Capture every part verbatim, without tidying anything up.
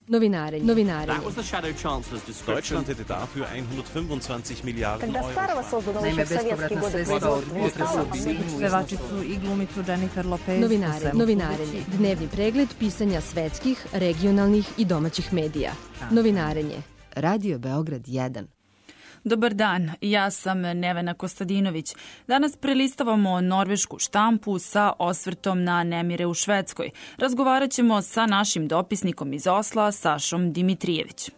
Novinarenje. Novinarenje. Deutschland hätte dafür hundertfünfundzwanzig Milliarden Euro. Naime, bespovratna sredstva od pevačicu i glumicu Jennifer Lopez. Novinarenje. Novinarenje. Dnevni pregled pisanja svetskih, regionalnih i domaćih medija. Novinarenje. Radio Beograd jedan. Dobar dan, ja sam Nevena Kostadinović. Danas prelistavamo norvešku štampu sa osvrtom na nemire u Švedskoj. Razgovarat ćemo sa našim dopisnikom iz Osla, Sašom Dimitrijević.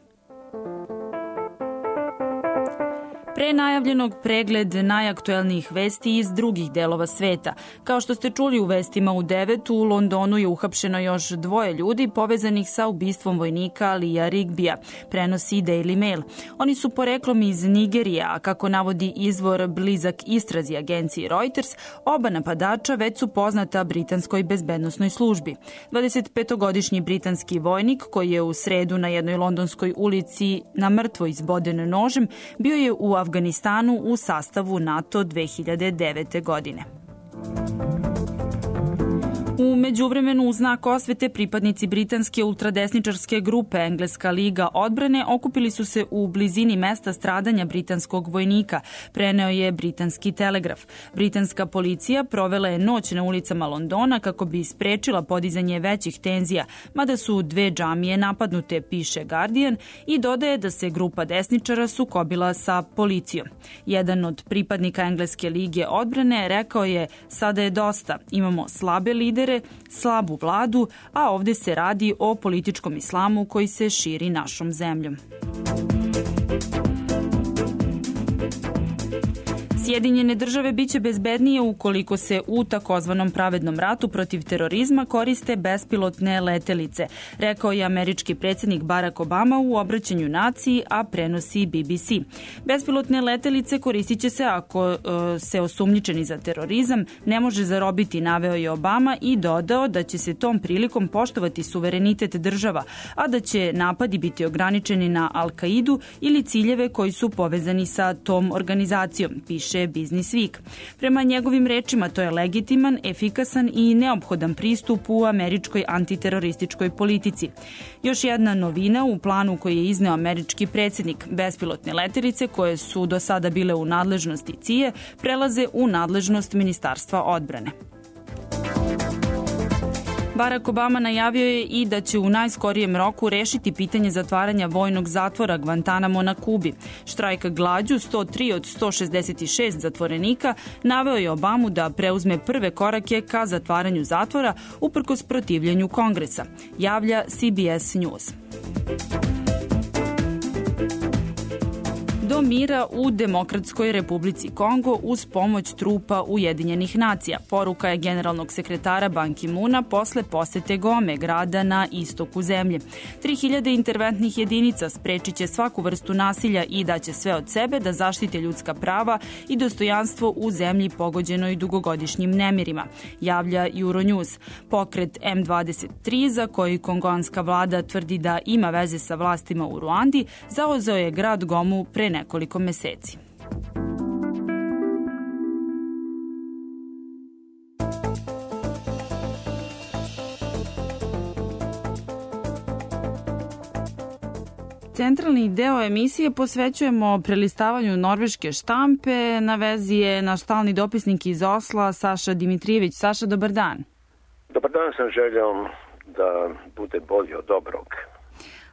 Pre najavljenog pregled najaktuelnijih vesti iz drugih delova sveta. Kao što ste čuli u vestima u devetu, u Londonu je uhapšeno još dvoje ljudi povezanih sa ubistvom vojnika Lija Rigbija, prenosi Daily Mail. Oni su poreklom iz Nigerije, a kako navodi izvor blizak istrazi agenciji Reuters, oba napadača već su poznata britanskoj bezbednosnoj službi. dvadesetpetogodišnji britanski vojnik, koji je u sredu na jednoj londonskoj ulici na mrtvo izboden nožem, bio je u Afganistanu u sastavu NATO dve hiljade devete. godine. U međuvremenu, u znak osvete, pripadnici britanske ultradesničarske grupe Engleska liga odbrane okupili su se u blizini mesta stradanja britanskog vojnika, preneo je britanski Telegraf. Britanska policija provela je noć na ulicama Londona kako bi sprečila podizanje većih tenzija, mada su dve džamije napadnute, piše Guardian, i dodaje da se grupa desničara sukobila sa policijom. Jedan od pripadnika Engleske lige odbrane rekao je: sada je dosta, imamo slabe lidere, slabu vladu, a ovde se radi o političkom islamu koji se širi našom zemljom. Sjedinjene države biće bezbednije ukoliko se u takozvanom pravednom ratu protiv terorizma koriste bespilotne letelice, rekao je američki predsjednik Barack Obama u obraćanju naciji, a prenosi B B C. Bespilotne letelice koristit će se ako e, se osumnjičeni za terorizam ne može zarobiti, naveo je Obama i dodao da će se tom prilikom poštovati suverenitet država, a da će napadi biti ograničeni na Al-Kaidu ili ciljeve koji su povezani sa tom organizacijom, piše Business Week. Prema njegovim rečima, to je legitiman, efikasan i neophodan pristup u američkoj antiterorističkoj politici. Još jedna novina u planu koji je izneo američki predsjednik: bespilotne letelice koje su do sada bile u nadležnosti C I A prelaze u nadležnost Ministarstva odbrane. Barack Obama najavio je i da će u najskorijem roku rešiti pitanje zatvaranja vojnog zatvora Guantanamo na Kubi. Štrajk glađu sto tri od sto šezdeset šest zatvorenika naveo je Obamu da preuzme prve korake ka zatvaranju zatvora uprkos protivljenju Kongresa, javlja C B S News. Do mira u Demokratskoj Republici Kongo uz pomoć trupa Ujedinjenih nacija. Poruka je generalnog sekretara Ban Ki-moona posle posete Gome, grada na istoku zemlje. tri hiljade interventnih jedinica sprečit će svaku vrstu nasilja i daće sve od sebe da zaštite ljudska prava i dostojanstvo u zemlji pogođenoj dugogodišnjim nemirima, javlja Euronews. Pokret M dvadeset tri, za koji kongonska vlada tvrdi da ima veze sa vlastima u Ruandi, zauzeo je grad Gomu pre nekoliko meseci. Centralni deo emisije posvećujemo prelistavanju norveške štampe. Na vezi je naš stalni dopisnik iz Osla, Saša Dimitrijević. Saša, dobar dan. Dobar dan, sa željom da bude bolje od dobrog.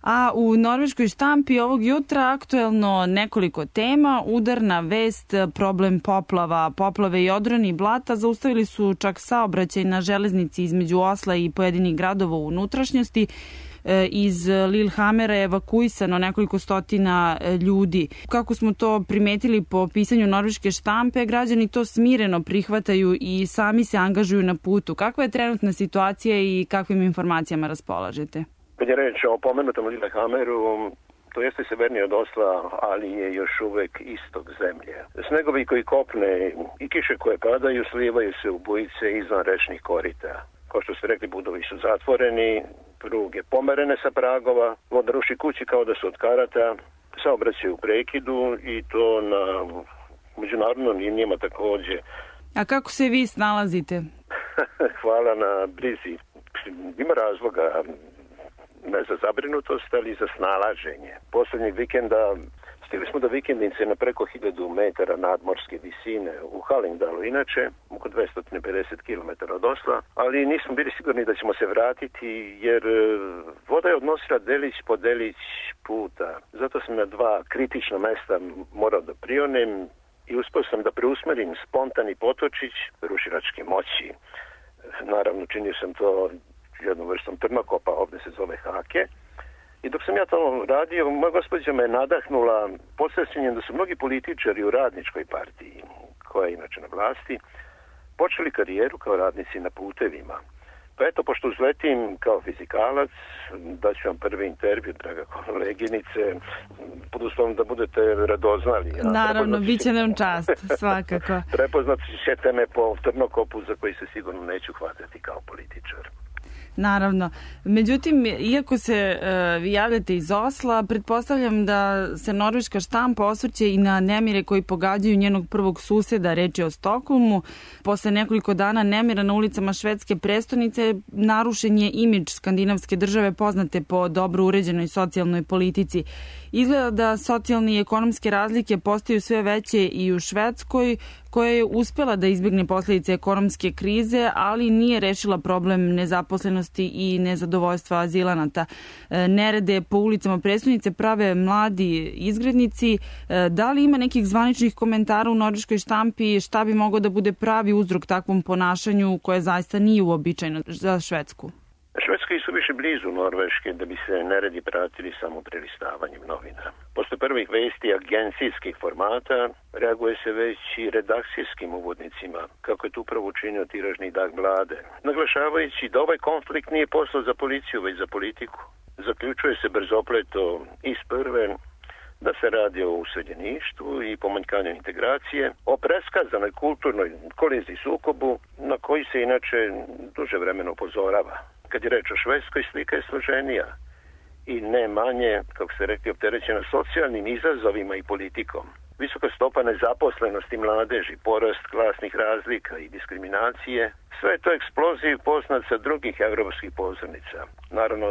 A u norveškoj štampi ovog jutra aktuelno nekoliko tema: udarna vest, problem poplava, poplave i odroni blata zaustavili su čak saobraćaj na železnici između Osla i pojedinih gradova u unutrašnjosti. Iz Lillehammera je evakuisano nekoliko stotina ljudi. Kako smo to primetili po pisanju norveške štampe, građani to smireno prihvataju i sami se angažuju na putu. Kakva je trenutna situacija i kakvim informacijama raspolažete? Kad je reč o pomenutom Lillehammeru, to jeste severnije od Osla, ali je još uvek istok zemlje. Snegovi koji kopne i kiše koje padaju slivaju se u bujice izvan rečnih korita. Kao što ste rekli, budovi su zatvoreni, pruge pomerene sa pragova, voda ruši kući kao da su od karata, saobraćaj u prekidu i to na međunarodnom linijama takođe. A kako se vi snalazite? Hvala na brizi. Ima razloga. ne za zabrinutost, ali za snalaženje. Posljednjeg vikenda stigli smo do vikendice na preko hiljadu metara nadmorske visine u Hallingdalu, inače oko dvesta pedeset kilometara od Osla, ali nismo bili sigurni da ćemo se vratiti jer voda je odnosila delić po delić puta. Zato sam na dva kritična mesta morao da prionem i uspio sam da preusmerim spontani potočić rušilačke moći. Naravno, činio sam to jednom vrstom trnokopa, ovdje se zove hake. I dok sam ja to radio, moja gospođa me nadahnula podsjećanjem da su mnogi političari u radničkoj partiji, koja je inače na vlasti, počeli karijeru kao radnici na putevima. Pa eto, pošto uzletim kao fizikalac, da ću vam prvi intervju, draga koleginice, pod uslovom da budete radoznali. Ja, naravno, bit će nam čast, svakako. Prepoznat ćete me po trnokopu za koji se sigurno neću hvatati kao političar. Naravno. Međutim, iako se uh, vi javljate iz Osla, pretpostavljam da se norveška štampa osvrće i na nemire koji pogađaju njenog prvog suseda, reč je o Stokholmu. Posle nekoliko dana nemira na ulicama švedske prestonice narušen je imidž skandinavske države poznate po dobro uređenoj socijalnoj politici. Izgleda da socijalne i ekonomske razlike postaju sve veće i u Švedskoj, koja je uspela da izbjegne posljedice ekonomske krize, ali nije rešila problem nezaposlenosti i nezadovoljstva azilanata. Nerede po ulicama prestonice prave mladi izgrednici. Da li ima nekih zvaničnih komentara u norveškoj štampi šta bi mogao da bude pravi uzrok takvom ponašanju koje zaista nije uobičajeno za Švedsku? Švedska je suviše blizu Norveške da bi se neredi pratili samo prelistavanjem novina. Posle prvih vesti agencijskih formata reaguje se već i redakcijskim uvodnicima, kako je tu upravo učinio tiražni Dag Blade, naglašavajući da ovaj konflikt nije posao za policiju, već za politiku. Zaključuje se brzopleto iz prve da se radi o useljeništvu i pomanjkanju integracije, o preskazanoj kulturnoj koliziji sukobu na koji se inače duže vremena upozorava. Kad je reč o Švedskoj, slika je složenija i ne manje, kako se rekli, opterećena socijalnim izazovima i politikom. Visoka stopa nezaposlenosti mladeži, porast klasnih razlika i diskriminacije, sve je to eksploziv poznat sa drugih evropskih pozornica. Naravno,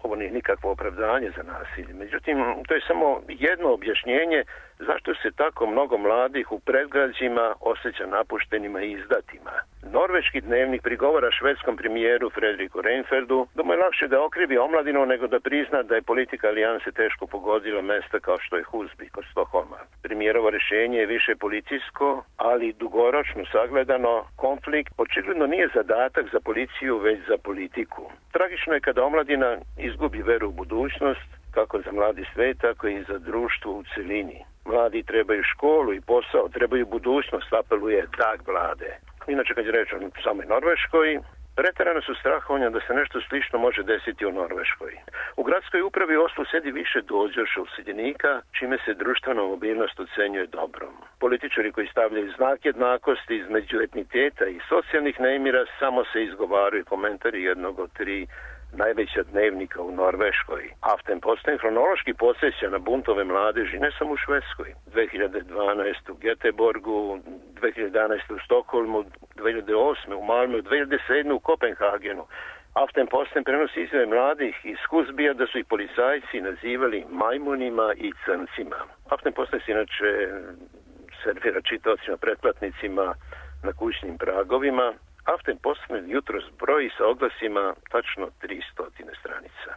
ovo nije nikakvo opravdanje za nasilje. Međutim, to je samo jedno objašnjenje zašto se tako mnogo mladih u predgrađima osjeća napuštenima i izdatima. Norveški dnevnik prigovara švedskom premijeru Fredriku Reinfeldu da mu je lakše da okrivi omladinu nego da prizna da je politika alijanse teško pogodila mesta kao što je Husby kod Stokholma. Premijerovo rješenje je više policijsko, ali dugoročno sagledano konflikt očigledno nije zadatak za policiju, već za politiku. Tragično je kada omladina izgubi veru u budućnost, kako za mladi svet, tako i za društvo u celini. Mladi trebaju školu i posao, trebaju budućnost, apeluje Dag Blade. Inače, kad je reč o samoj Norveškoj, preterano su strahovanja da se nešto slično može desiti u Norveškoj. U gradskoj upravi Oslo sedi više dođoša useljenika, čime se društvena mobilnost ocenjuje dobrom. Političari koji stavljaju znak jednakosti između etniteta i socijalnih nemira samo se izgovaraju komentari jednog od tri najveća dnevnika u Norveškoj. Aftenposten hronološki podsjeća na buntove mladeži ne samo u Švedskoj. dve hiljade dvanaeste u Göteborgu, dve hiljade jedanaeste u Stokholmu, dve hiljade osme u Malmö, dve hiljade sedme u Kopenhagenu. Aftenposten prenosi izjave mladih iz Husbija da su ih policajci nazivali majmunima i crncima. Aftenposten se inače servira čitaocima, pretplatnicima na kućnim pragovima. Aftenposten jutros broji sa oglasima tačno tristo stranica.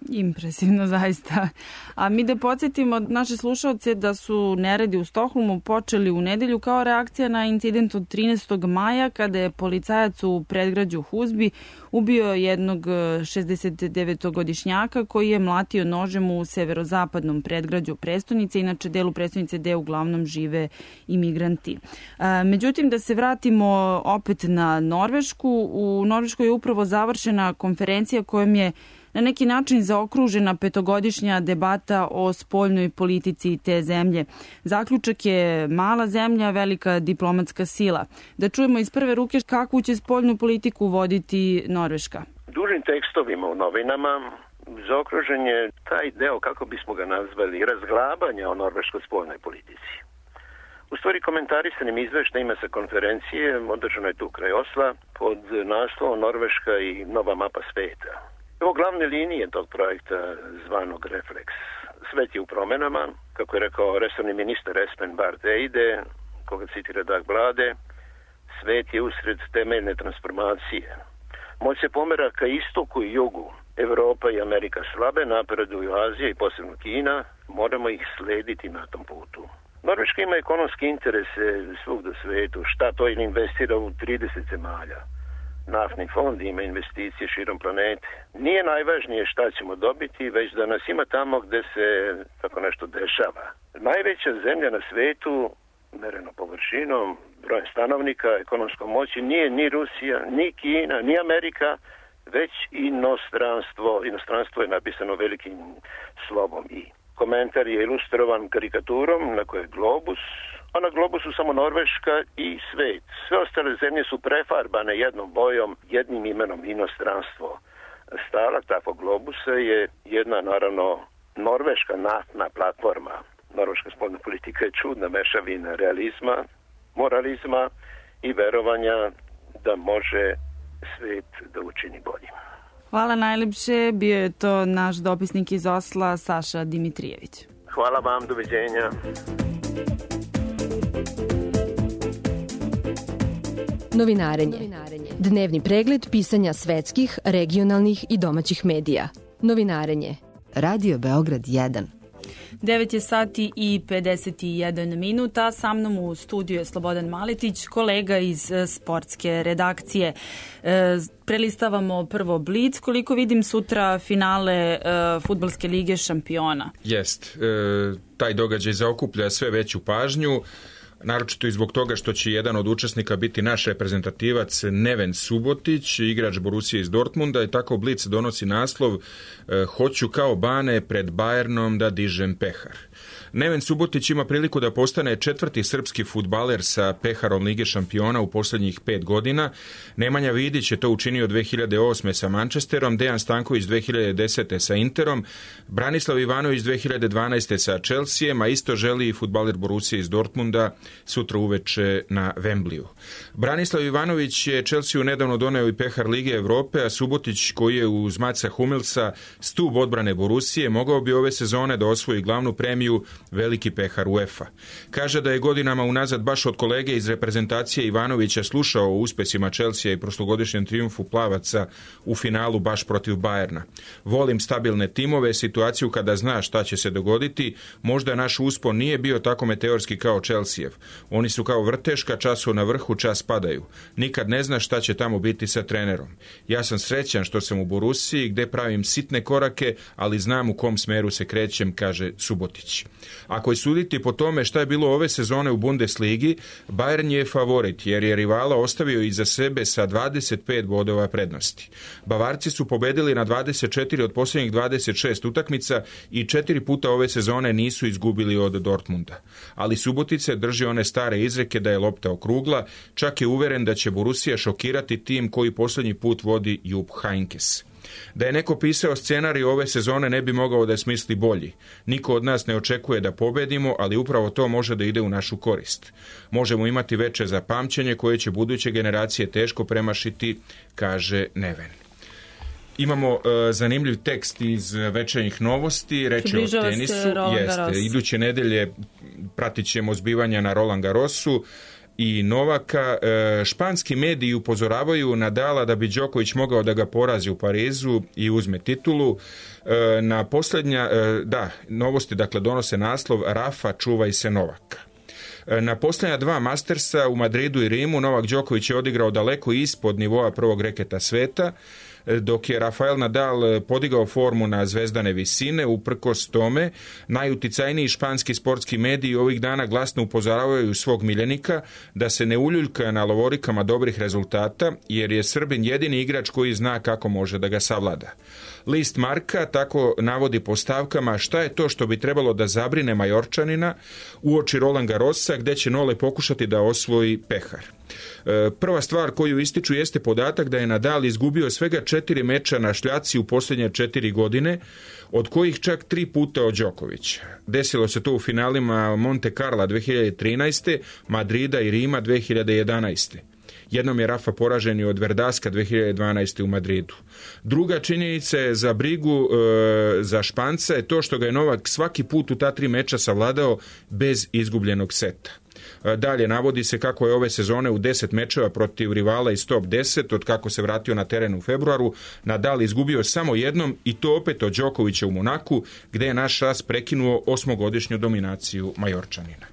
Impresivno, zaista. A mi da podsjetimo naše slušalce da su neredi u Stokholmu počeli u nedelju kao reakcija na incident od trinaestog maja kada je policajac u predgrađu Husby ubio jednog šezdesetdevetogodišnjaka koji je mlatio nožem u severozapadnom predgrađu prestonice, inače delu prestonice gde uglavnom žive imigranti. Međutim, da se vratimo opet na Norvešku. U Norveškoj je upravo završena konferencija kojom je na neki način zaokružena petogodišnja debata o spoljnoj politici te zemlje. Zaključak je mala zemlja, velika diplomatska sila. Da čujemo iz prve ruke kakvu će spoljnu politiku voditi Norveška. Dužim tekstovima u novinama zaokružen je taj deo, kako bismo ga nazvali, razglabanja o norveškoj spoljnoj politici. U stvari komentarisanim izveštajima sa konferencije, održano je tu kraj Osla, pod naslovom Norveška i nova mapa sveta. Evo glavne linije tog projekta zvanog Refleks. Svet je u promenama, kako je rekao resorni ministar Espen Barth Eide, koga citira Dag Blade, svet je usred temeljne transformacije. Moć se pomera ka istoku i jugu. Evropa i Amerika slabe, napreduju Azija i posebno Kina, moramo ih slediti na tom putu. Norveška ima ekonomski interese svugde u svetu, šta to ili investira u trideset zemalja. Naftni fond ima investicije širom planete. Nije najvažnije šta ćemo dobiti, već da nas ima tamo gde se tako nešto dešava. Najveća zemlja na svetu, mereno površinom, brojem stanovnika, ekonomskom moći, nije ni Rusija, ni Kina, ni Amerika, već inostranstvo. Inostranstvo je napisano velikim slovom I. Komentar je ilustrovan karikaturom na kojoj je globus, a na globusu samo Norveška i svet. Sve ostale zemlje su prefarbane jednom bojom, jednim imenom inostranstvo. Stalak takvog globusa je jedna, naravno, norveška naftna platforma. Norveška spoljna politika je čudna mešavina realizma, moralizma i verovanja da može svet da učini boljim. Hvala najlepše, bio je to naš dopisnik iz Osla, Saša Dimitrijević. Hvala vam, doviđenja. Novinarenje. Dnevni pregled pisanja svetskih, regionalnih i domaćih medija. Novinarenje. Radio Beograd jedan. devet je sati i pedeset jedan minuta. Sa mnom u studiju je Slobodan Maletić, kolega iz sportske redakcije. E, prelistavamo prvo Blic. Koliko vidim sutra finale e, fudbalske lige šampiona. Jest. E, taj događaj zaokuplja sve veću pažnju. Naročito i zbog toga što će jedan od učesnika biti naš reprezentativac Neven Subotić, igrač Borusije iz Dortmunda, i tako Blic donosi naslov "Hoću kao Bane pred Bayernom da dižem pehar". Neven Subotić ima priliku da postane četvrti srpski fudbaler sa peharom Lige šampiona u posljednjih pet godina. Nemanja Vidić je to učinio dve hiljade osme sa Manchesterom, Dejan Stanković dve hiljade desete sa Interom, Branislav Ivanović dve hiljade dvanaeste sa Chelseaem, a isto želi i fudbaler Borusije iz Dortmunda sutra uveče na Wembleyu. Branislav Ivanović je Chelsea nedavno doneo i pehar Lige Evrope, a Subotić, koji je uz Matsa Hummelsa stub odbrane Borusije, mogao bi ove sezone da osvoji glavnu premiju veliki pehar UEFA. Kaže da je godinama unazad baš od kolege iz reprezentacije Ivanovića slušao o uspesima Chelsea i prošlogodišnjem triumfu plavaca u finalu baš protiv Bayerna. Volim stabilne timove, situaciju kada zna šta će se dogoditi. Možda naš uspon nije bio tako meteorski kao Chelseaev. Oni su kao vrteška, čas su na vrhu, čas padaju. Nikad ne zna šta će tamo biti sa trenerom. Ja sam srećan što sam u Borusiji, gde pravim sitne korake, ali znam u kom smeru se krećem, kaže Subotić. Ako je suditi po tome šta je bilo ove sezone u Bundesligi, Bayern je favorit jer je rivala ostavio iza sebe sa dvadeset pet bodova prednosti. Bavarci su pobedili na dvadeset četiri od posljednjih dvadeset šest utakmica i četiri puta ove sezone nisu izgubili od Dortmunda. Ali Subotice drži one stare izreke da je lopta okrugla, čak je uveren da će Borussia šokirati tim koji posljednji put vodi Jupp Heynckes. Da je neko pisao scenarij ove sezone ne bi mogao da smisli bolji. Niko od nas ne očekuje da pobedimo, ali upravo to može da ide u našu korist. Možemo imati veče za pamćenje koje će buduće generacije teško premašiti, kaže Neven. Imamo uh, zanimljiv tekst iz večernjih novosti, reč je o tenisu. Jeste, iduće nedelje pratit ćemo zbivanja na Roland Garrosu i Novaka. Španski mediji upozoravaju Nadala da bi Đoković mogao da ga porazi u Parizu i uzme titulu. Na posljednja, da, novosti dakle donose naslov "Rafa, čuvaj se Novaka". Na posljednja dva Mastersa u Madridu i Rimu Novak Đoković je odigrao daleko ispod nivoa prvog reketa sveta, dok je Rafael Nadal podigao formu na zvezdane visine. Uprkos tome, najuticajniji španski sportski mediji ovih dana glasno upozoravaju svog miljenika da se ne uljuljka na lovorikama dobrih rezultata, jer je Srbin jedini igrač koji zna kako može da ga savlada. List Marka tako navodi po stavkama šta je to što bi trebalo da zabrine Majorčanina uoči Roland Garrosa, gde će Nole pokušati da osvoji pehar. Prva stvar koju ističu jeste podatak da je Nadal izgubio svega četiri meča na šljaci u posljednje četiri godine, od kojih čak tri puta od Đokovića. Desilo se to u finalima Monte Carla dve hiljade trinaeste, Madrida i Rima dve hiljade jedanaeste. Jednom je Rafa poražen i od Verdaska dve hiljade dvanaeste. u Madridu. Druga činjenica je za brigu e, za Španca je to što ga je Novak svaki put u ta tri meča savladao bez izgubljenog seta. Dalje, navodi se kako je ove sezone u deset mečeva protiv rivala iz top deset, od kako se vratio na teren u februaru, Nadal izgubio samo jednom i to opet od Đokovića u Monaku, gde je naš as prekinuo osmogodišnju dominaciju Majorčanina.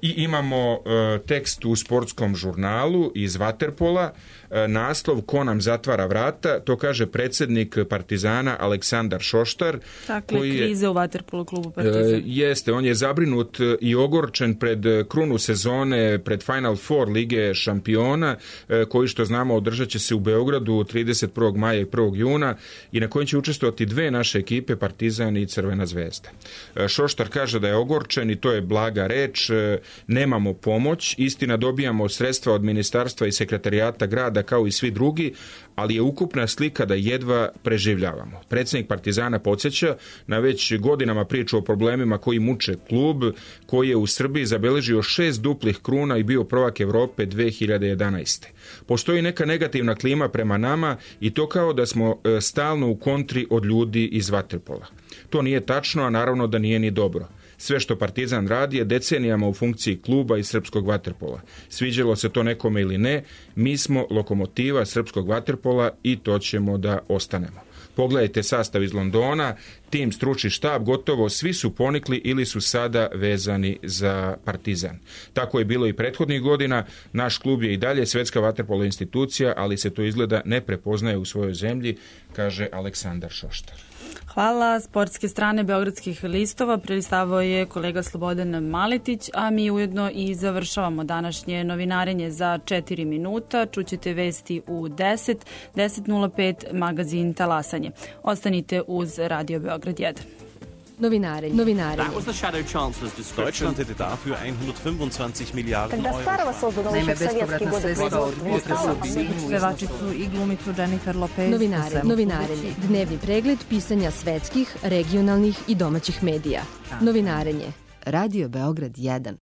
I imamo e, tekst u sportskom žurnalu iz Vaterpola, e, naslov Ko nam zatvara vrata, to kaže predsjednik Partizana Aleksandar Šoštar. Dakle, koji je, krize u Vaterpolu klubu Partizan. E, jeste, on je zabrinut i ogorčen pred krunu sezone, pred Final Four Lige šampiona, e, koji što znamo održat će se u Beogradu trideset prvog maja i prvog juna i na kojem će učestvovati dve naše ekipe, Partizan i Crvena zvezda. E, Šoštar kaže da je ogorčen i to je blaga reč, e, nemamo pomoć, istina dobijamo sredstva od ministarstva i sekretarijata grada kao i svi drugi, ali je ukupna slika da jedva preživljavamo. Predsjednik Partizana podsjeća na već godinama priču o problemima koji muče klub, koji je u Srbiji zabeležio šest duplih kruna i bio prvak Evrope dve hiljade jedanaeste. Postoji neka negativna klima prema nama i to kao da smo stalno u kontri od ljudi iz Vaterpola. To nije tačno, a naravno da nije ni dobro. Sve što Partizan radi je decenijama u funkciji kluba i srpskog vaterpola. Sviđalo se to nekome ili ne, mi smo lokomotiva srpskog vaterpola i to ćemo da ostanemo. Pogledajte sastav iz Londona, tim, stručni štab, gotovo svi su ponikli ili su sada vezani za Partizan. Tako je bilo i prethodnih godina, naš klub je i dalje svetska vaterpolo institucija, ali se to izgleda ne prepoznaje u svojoj zemlji, kaže Aleksandar Šoštar. Hvala. Sportske strane Beogradskih listova prelistavao je kolega Slobodan Maletić, a mi ujedno i završavamo današnje novinarenje za četiri minuta. Čućete vesti u deset, deset nula pet, magazin Talasanje. Ostanite uz Radio Beograd jedan. Novinarenje. Novinarenje. That was the shadow chancellor's description. Deutschland hätte dafür hundertfünfundzwanzig Milliarden Euro. Naime, bespovratna sredstva od potresa u Sinju. Pevačicu i glumicu Jennifer Lopez. Novinare, novinarenje. Dnevni pregled pisanja svetskih, regionalnih i domaćih medija. Novinarenje. Radio Beograd jedan.